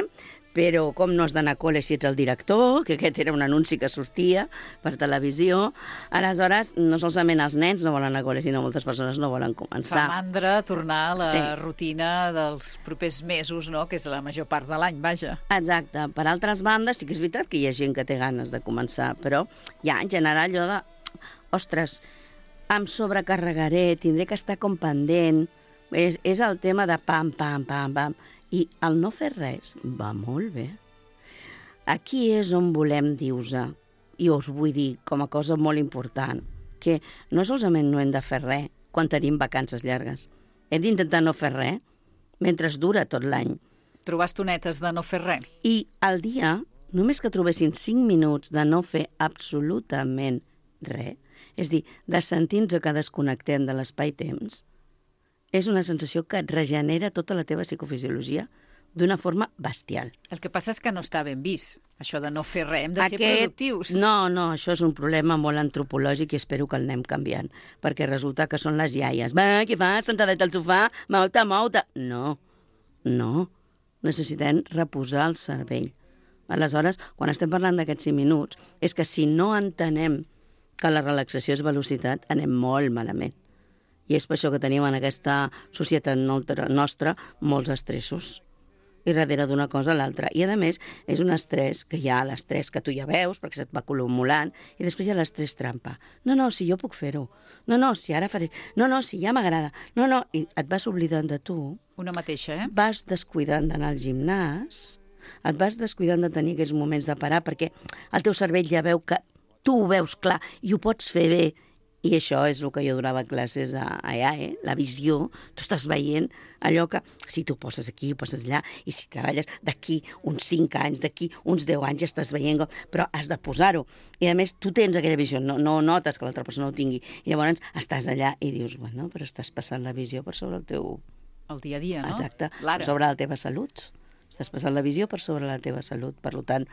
Però com no has d'anar a col·le si ets el director, que aquest era un anunci que sortia per televisió. Aleshores, no solament els nens no volen anar a col·le, sinó moltes persones no volen començar. Fa mandra tornar a la rutina dels propers mesos, no? Que és la major part de l'any, vaja. Exacte. Per altres bandes, sí que és veritat que hi ha gent que té ganes de començar, però ja en general allò de... Ostres, em sobrecarregaré, tindré que estar com pendent. És el tema de pam, pam, pam, pam. I el no fer res va molt bé. Aquí és on volem dir-vos, i us vull dir com a cosa molt important, que no solament no hem de fer res quan tenim vacances llargues. Hem d'intentar no fer res mentre dura tot l'any. Trobar estonetes de no fer res. I al dia, només que trobessin 5 minuts de no fer absolutament res, és dir, de sentir-nos que desconnectem de l'espai-temps, és una sensació que et regenera tota la teva psicofisiologia d'una forma bestial. El que passa és que no està ben vist, això de no fer res. Hem de ser productius. No, això és un problema molt antropològic i espero que el anem canviant, perquè resulta que són les iaies. Va, què fas, sentadet al sofà? Mou-te. No. Necessitem reposar el cervell. Aleshores, quan estem parlant d'aquests 5 minuts, és que si no entenem que la relaxació és velocitat, anem molt malament. I és per això que tenim en aquesta societat nostra molts estressos. I darrere d'una cosa a l'altra. I, a més, és un estrès que hi ha l'estrès que tu ja veus, perquè se't va acumulant, i després hi ha l'estrès trampa. No, si jo puc fer-ho. No, si ara faré... No, si ja m'agrada. No, i et vas oblidant de tu. Una mateixa, Vas descuidant d'anar al gimnàs, et vas descuidant de tenir aquests moments de parar, perquè el teu cervell ja veu que tu ho veus clar i ho pots fer bé. I això és el que jo donava classes allà, la visió. Tu estàs veient allò que, si tu poses aquí, ho poses allà, i si treballes d'aquí uns 5 anys, d'aquí uns 10 anys, ja estàs veient, però has de posar-ho. I a més, tu tens aquella visió, no notes que l'altra persona ho tingui. I llavors estàs allà i dius, bueno, però estàs passant la visió per sobre el teu... El dia a dia, no? Exacte, per sobre la teva salut. Estàs passant la visió per sobre la teva salut. Per tant,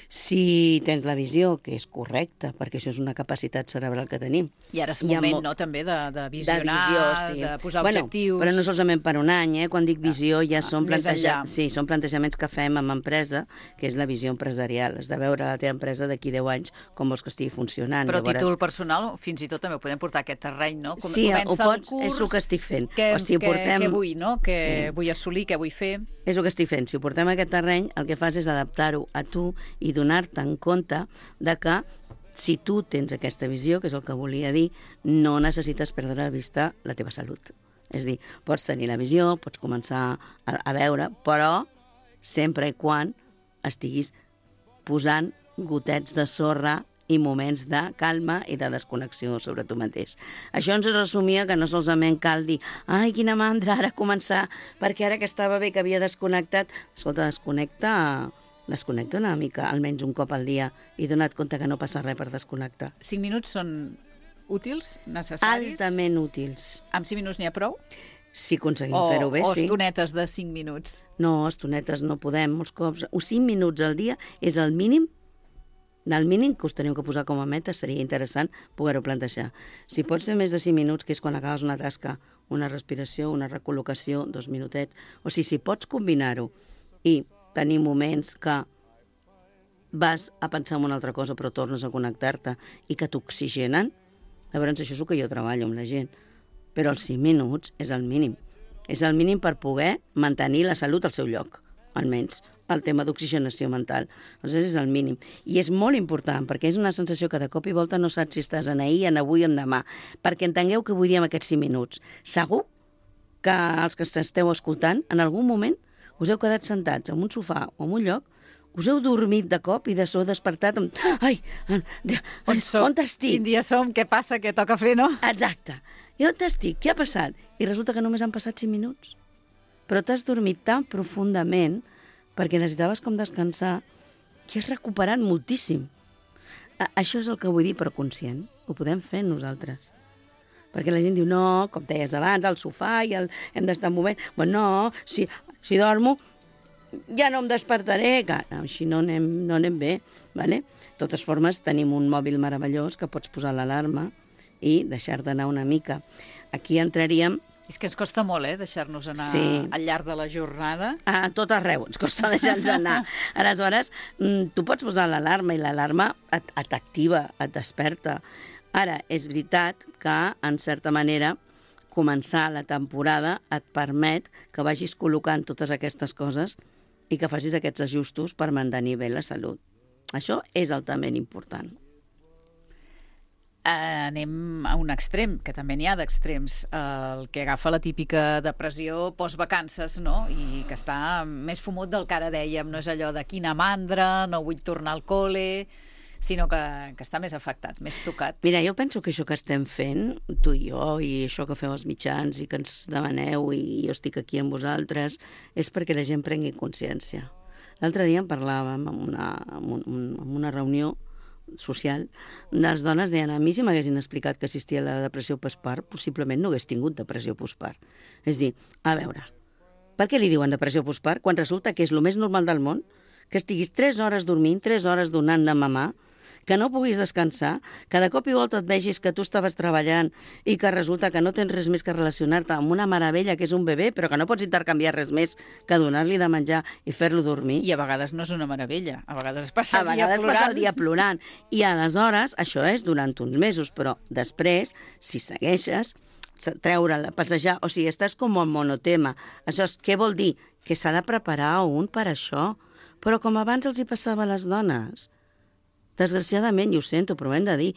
si tens la visió, que és correcta, perquè això és una capacitat cerebral que tenim. I ara és moment, no?, també de visionar, de posar objectius... Però no solament per un any, Quan dic visió ja són plantejaments que fem amb empresa, que és la visió empresarial. Has de veure la teva empresa d'aquí 10 anys com vols que estigui funcionant. Però a títol personal, fins i tot també ho podem portar a aquest terreny, no? Sí, ho pots, és el que estic fent. Què vull, no? Què vull assolir, què vull fer? És el que estic fent. Si ho portem a aquest terreny, el que fas és adaptar-ho a tu i donar-te en compte de que si tu tens aquesta visió, que és el que volia dir, no necessites perdre de vista la teva salut. És a dir, pots tenir la visió, pots començar a veure, però sempre i quan estiguis posant gotets de sorra i moments de calma i de desconnexió sobre tu mateix. Això ens resumia que no solament cal dir ai, quina mandra, ara començar, perquè ara que estava bé, que havia desconnectat. Escolta, desconnecta una mica, almenys un cop al dia, i dona't compte que no passa res per desconnectar. 5 minuts són útils, necessaris? Altament útils. Amb 5 minuts n'hi ha prou? Si aconseguim fer-ho bé, o sí. estonetes de 5 minuts? No, estonetes no podem, molts cops. 5 minuts al dia és el mínim. Del mínim que us teniu que posar com a meta seria interessant poder-ho plantejar. Si pot ser més de 5 minuts, que és quan acabes una tasca, una respiració, una recol·locació, 2 minutets, o si pots combinar-ho i tenir moments que vas a pensar en una altra cosa però tornes a connectar-te i que t'oxigenen, llavors això és el que jo treballo amb la gent. Però els 5 minuts és el mínim. És el mínim per poder mantenir la salut al seu lloc, almenys el tema d'oxigenació mental. Aleshores és el mínim. I és molt important, perquè és una sensació que de cop i volta no saps si estàs en ahir, en avui o en demà. Perquè entengueu què vull dir amb aquests 5 minuts. Segur que els que esteu escoltant, en algun moment us heu quedat sentats en un sofà o en un lloc, us heu dormit de cop i de so despertat amb... Ai, on estic? Quin dia som? Què passa? Què toca fer, no? Exacte. I on estic? Què ha passat? I resulta que només han passat 5 minuts. Però t'has dormit tan profundament perquè necessitaves com descansar que has recuperat moltíssim. Això és el que vull dir, però conscient. Ho podem fer nosaltres. Perquè la gent diu, no, com deies abans, al sofà i hem d'estar en moment. Bueno, no, si dormo ja no em despertaré, que així no anem bé. Vale? De totes formes, tenim un mòbil meravellós que pots posar l'alarma i deixar-te anar una mica. Aquí entraríem... És que ens costa molt, deixar-nos anar al llarg de la jornada. A tot arreu ens costa deixar-nos anar. Aleshores, tu pots posar l'alarma i l'alarma t'activa, et desperta. Ara, és veritat que, en certa manera, començar la temporada et permet que vagis col·locant totes aquestes coses i que facis aquests ajustos per mantenir bé la salut. Això és altament important. Anem a un extrem, que també n'hi ha d'extrems, el que agafa la típica depressió postvacances, no? I que està més fumut del que ara dèiem, no és allò de quina mandra, no vull tornar al col·le, sinó que està més afectat, més tocat. Mira, jo penso que això que estem fent, tu i jo, i això que feu els mitjans i que ens demaneu i jo estic aquí amb vosaltres, és perquè la gent prengui consciència. L'altre dia en parlàvem en una reunió social, les dones deien, a mi si m'haguessin explicat que existia la depressió postpart, possiblement no hagués tingut depressió postpart. És dir, a veure, per què li diuen depressió postpart quan resulta que és el més normal del món que estiguis 3 hores dormint, 3 hores donant de mamar, que no puguis descansar, que de cop i volta et vegis que tu estaves treballant i que resulta que no tens res més que relacionar-te amb una meravella que és un bebè, però que no pots intercanviar res més que donar-li de menjar i fer-lo dormir. I a vegades no és una meravella, a vegades es passa el dia plorant. I aleshores, això és durant uns mesos, però després, si segueixes, treure'l, passejar, o sigui, estàs com en monotema. Això és, què vol dir? Que s'ha de preparar un per això. Però com abans els hi passava a les dones, desgraciadament, i ho sento, però ho hem de dir,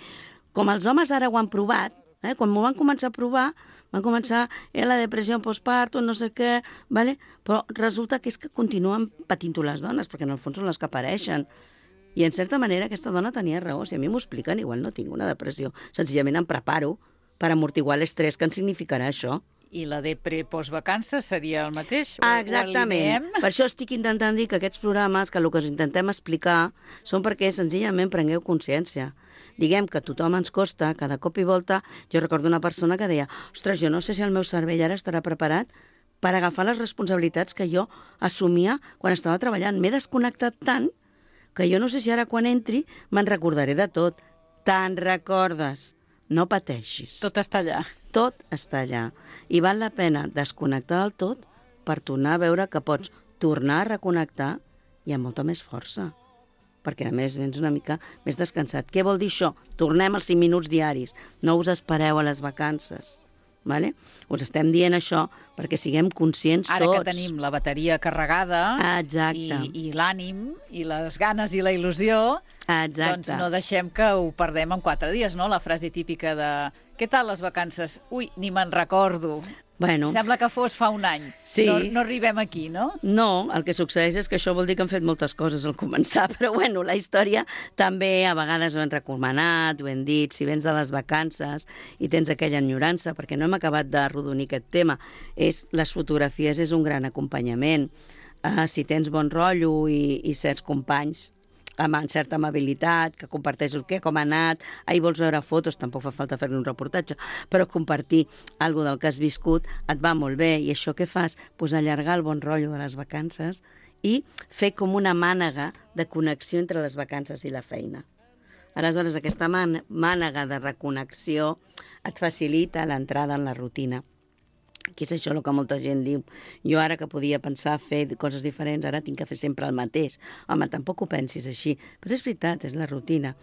com els homes ara ho han provat, quan m'ho van començar a provar, van començar la depressió postpartum, no sé què, vale? Però resulta que és que continuen patint-ho les dones, perquè en el fons són les que apareixen. I en certa manera aquesta dona tenia raó, si a mi m'ho expliquen, igual no tinc una depressió, senzillament em preparo per amortiguar l'estrès que en significarà això. I la depre postvacances seria el mateix? Exactament. Per això estic intentant dir que aquests programes, que el que us intentem explicar, són perquè senzillament prengueu consciència. Diguem que a tothom ens costa, cada cop i volta. Jo recordo una persona que deia, ostres, jo no sé si el meu cervell ara estarà preparat per agafar les responsabilitats que jo assumia quan estava treballant. M'he desconnectat tant que jo no sé si ara quan entri me'n recordaré de tot. Te'n recordes. No pateixis. Tot està allà. Tot està allà. I val la pena desconnectar del tot per tornar a veure que pots tornar a reconnectar i amb molta més força. Perquè a més vens una mica més descansat. Què vol dir això? Tornem als 5 minuts diaris. No us espereu a les vacances. Vale? Us estem dient això perquè siguem conscients tots. Ara que tenim la bateria carregada i l'ànim i les ganes i la il·lusió, doncs no deixem que ho perdem en 4 dies, no? La frase típica de què tal les vacances? Ui, ni me'n recordo. Bueno, Sembla que fos fa un any. Sí. No arribem aquí, no? no, el que succeeix és que això vol dir que han fet moltes coses al començar, però bueno, la història també a vegades ho hem recomanat, ho hem dit, si vens de les vacances i tens aquella enyorança, perquè no hem acabat d'arrodonir aquest tema, les fotografies és un gran acompanyament. Si tens bon rotllo i certs companys amb certa amabilitat, que comparteixes com ha anat, ahir vols veure fotos, tampoc fa falta fer-ne un reportatge, però compartir alguna del que has viscut et va molt bé, i això què fas? Pues allargar el bon rotllo de les vacances i fer com una mànega de connexió entre les vacances i la feina. Aleshores, aquesta mànega de reconnexió et facilita l'entrada en la rutina. Que és això el que molta gent diu. Jo ara que podia pensar fer coses diferents, ara tinc que fer sempre el mateix. Home, tampoc ho pensis així, però és veritat, és la rutina.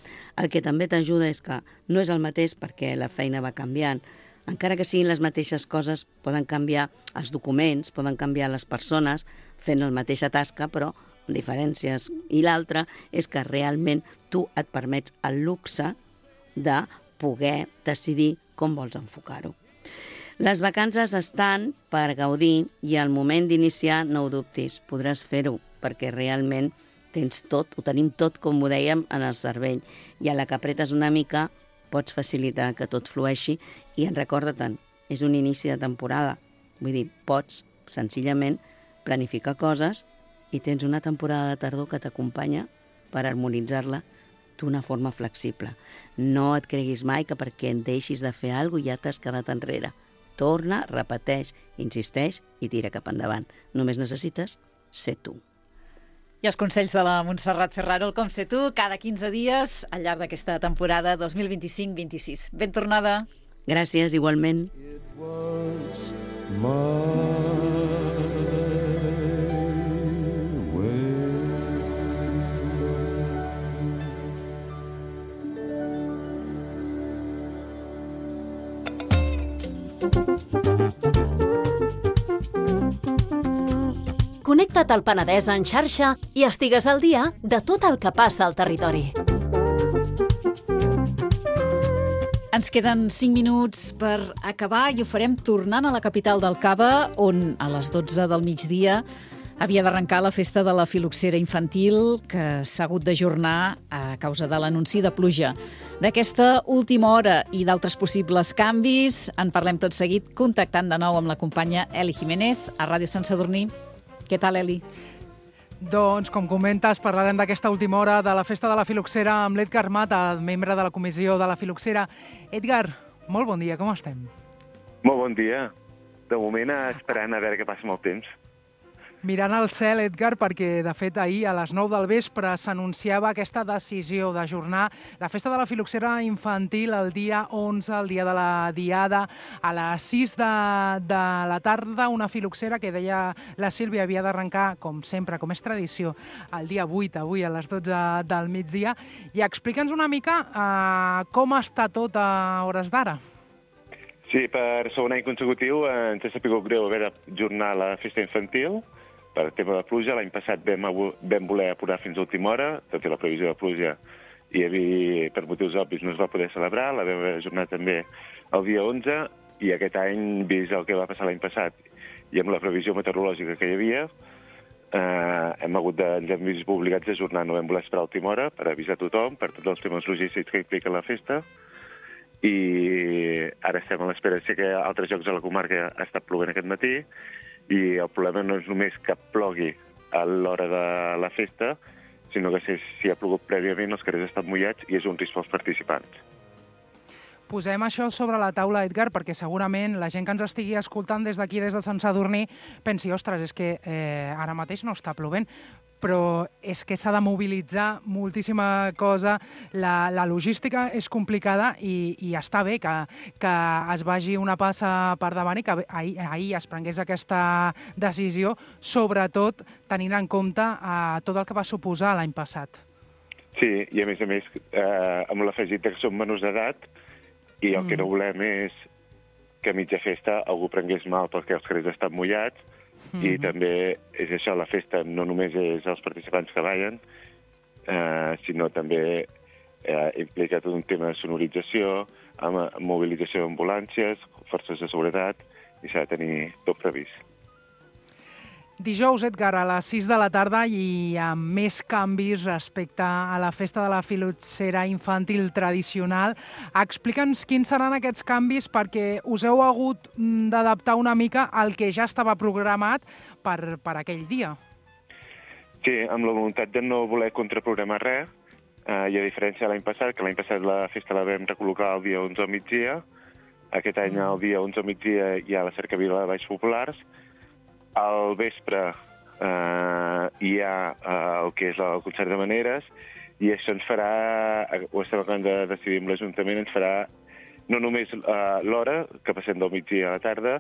El que també t'ajuda és que no és el mateix perquè la feina va canviant. Encara que siguin les mateixes coses, poden canviar els documents, poden canviar les persones fent la mateixa tasca, però amb diferències. I l'altra és que realment tu et permets el luxe de poder decidir com vols enfocar-ho. Les vacances estan per gaudir i al moment d'iniciar no ho dubtis, podràs fer-ho perquè realment tens tot, ho tenim tot, com ho dèiem, en el cervell. I a la que apretes una mica pots facilitar que tot flueixi i recorda-te'n, és un inici de temporada. Vull dir, pots senzillament planificar coses i tens una temporada de tardor que t'acompanya per harmonitzar-la d'una forma flexible. No et creguis mai que perquè en deixis de fer alguna cosa ja t'has quedat enrere. Torna, repeteix, insisteix i tira cap endavant. Només necessites ser tu. I els consells de la Montserrat Ferraro, el Com Ser Tu, cada 15 dies al llarg d'aquesta temporada 2025-26. Ben tornada. Gràcies, igualment. It was my way. Connecta't al Penedès en xarxa i estigues al dia de tot el que passa al territori. Ens queden 5 minuts per acabar i ho farem tornant a la capital del Cava, on a les 12 del migdia havia d'arrencar la festa de la filoxera infantil, que s'ha hagut d'ajornar a causa de l'anunci de pluja. D'aquesta última hora i d'altres possibles canvis en parlem tot seguit, contactant de nou amb la companya Eli Jiménez a Ràdio Sant Sadurní. Què tal, Eli? Doncs, com comentes, parlarem d'aquesta última hora de la festa de la filoxera amb l'Edgar Mata, membre de la comissió de la filoxera. Edgar, molt bon dia, com estem? Molt bon dia. De moment esperant a veure què passa amb el temps. Mirant al cel, Edgar, perquè, de fet, ahir a les 9 del vespre s'anunciava aquesta decisió d'ajornar la festa de la filoxera infantil el dia 11, el dia de la Diada, a les 6 de la tarda, una filoxera que deia la Sílvia havia d'arrencar, com sempre, com és tradició, el dia 8, avui a les 12 del migdia. I explica'ns una mica com està tot a hores d'ara. Sí, per segon any consecutiu ens ha sabut greu haver d'ajornar la festa infantil per tema de pluja. L'any passat vam voler apurar fins a última hora, tot i la previsió de pluja, i per motius obvis no es va poder celebrar. La vam ajornar també el dia 11, i aquest any, vist el que va passar l'any passat i amb la previsió meteorològica que hi havia, ens hem vist obligats a ajornar. No vam voler esperar a última hora per avisar tothom, per tots els temes logístics que implica la festa, i ara estem a l'espera. Sé que a altres llocs de la comarca ha estat plovent aquest matí, i el problema no és només que plogui a l'hora de la festa, sinó que si ha plogut prèviament els carrers estan mullats i és un risc pels participants. Posem això sobre la taula, Edgar, perquè segurament la gent que ens estigui escoltant des d'aquí, des de Sant Sadurní, pensi, ostres, és que ara mateix no està plovent, però és que s'ha de mobilitzar moltíssima cosa, la logística és complicada i està bé que es vagi una passa per davant i que ahir es prengués aquesta decisió, sobretot tenint en compte tot el que va suposar l'any passat. Sí, i a més, amb l'afegit que som menors d'edat, i el que no volem és que a mitja festa algú prengués mal perquè els carrers estan mullats, i també és això, la festa no només és els participants que ballen, sinó també implica tot un tema de sonorització, amb mobilització d'ambulàncies, forces de seguretat, i s'ha de tenir tot previst. Dijous, Edgar, a les 6 de la tarda i amb més canvis respecte a la festa de la filoxera infantil tradicional. Explica'ns quins seran aquests canvis perquè us heu hagut d'adaptar una mica al que ja estava programat per aquell dia. Sí, amb la voluntat de no voler contraprogramar res, i a diferència de l'any passat, que l'any passat la festa la vam recol·locar el dia 11 al migdia, aquest any el dia 11 al migdia hi ha la cercavila de Balls Populars. Al vespre hi ha el que és el concert de maneres i això ens farà, ho estem acabant de decidir amb l'Ajuntament, ens farà no només l'hora, que passem del migdia a la tarda,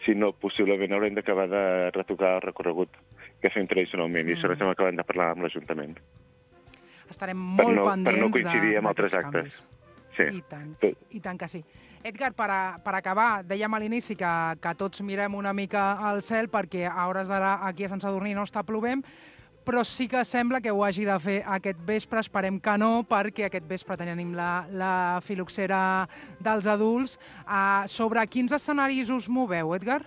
sinó possiblement haurem d'acabar de retocar el recorregut que fem tradicionalment i això estem acabant de parlar amb l'Ajuntament. Estarem molt pendents per no coincidir amb altres actes. Sí. I tant que sí. Edgar, per acabar, dèiem a l'inici que tots mirem una mica al cel perquè a hores d'ara aquí a Sant Sadurní no està plovent, però sí que sembla que ho hagi de fer aquest vespre, esperem que no, perquè aquest vespre tenim la filoxera dels adults. Sobre quins escenaris us moveu, Edgar?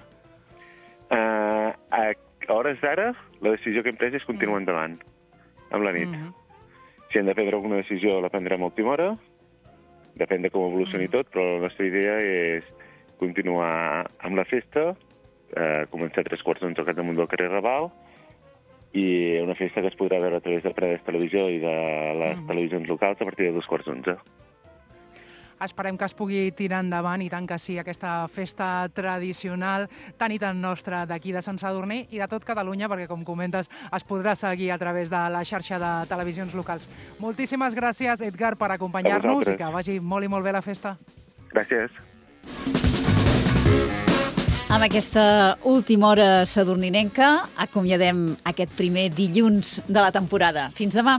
A hores d'ara, la decisió que hem pres és continuar endavant, amb la nit. Si hem de prendre alguna decisió, la prendrem a última hora, depèn de com evolucioni tot, però la nostra idea és continuar amb la festa, començar a 3:45 al damunt del carrer Raval, i una festa que es podrà veure a través de Paredes Televisió i de les televisions locals a partir de 2:15. Esperem que es pugui tirar endavant, i tant que sí, aquesta festa tradicional tan i tan nostra d'aquí de Sant Sadurní i de tot Catalunya, perquè, com comentes, es podrà seguir a través de la xarxa de televisions locals. Moltíssimes gràcies, Edgar, per acompanyar-nos i que vagi molt i molt bé la festa. Gràcies. Amb aquesta última hora sadurninenca acomiadem aquest primer dilluns de la temporada. Fins demà.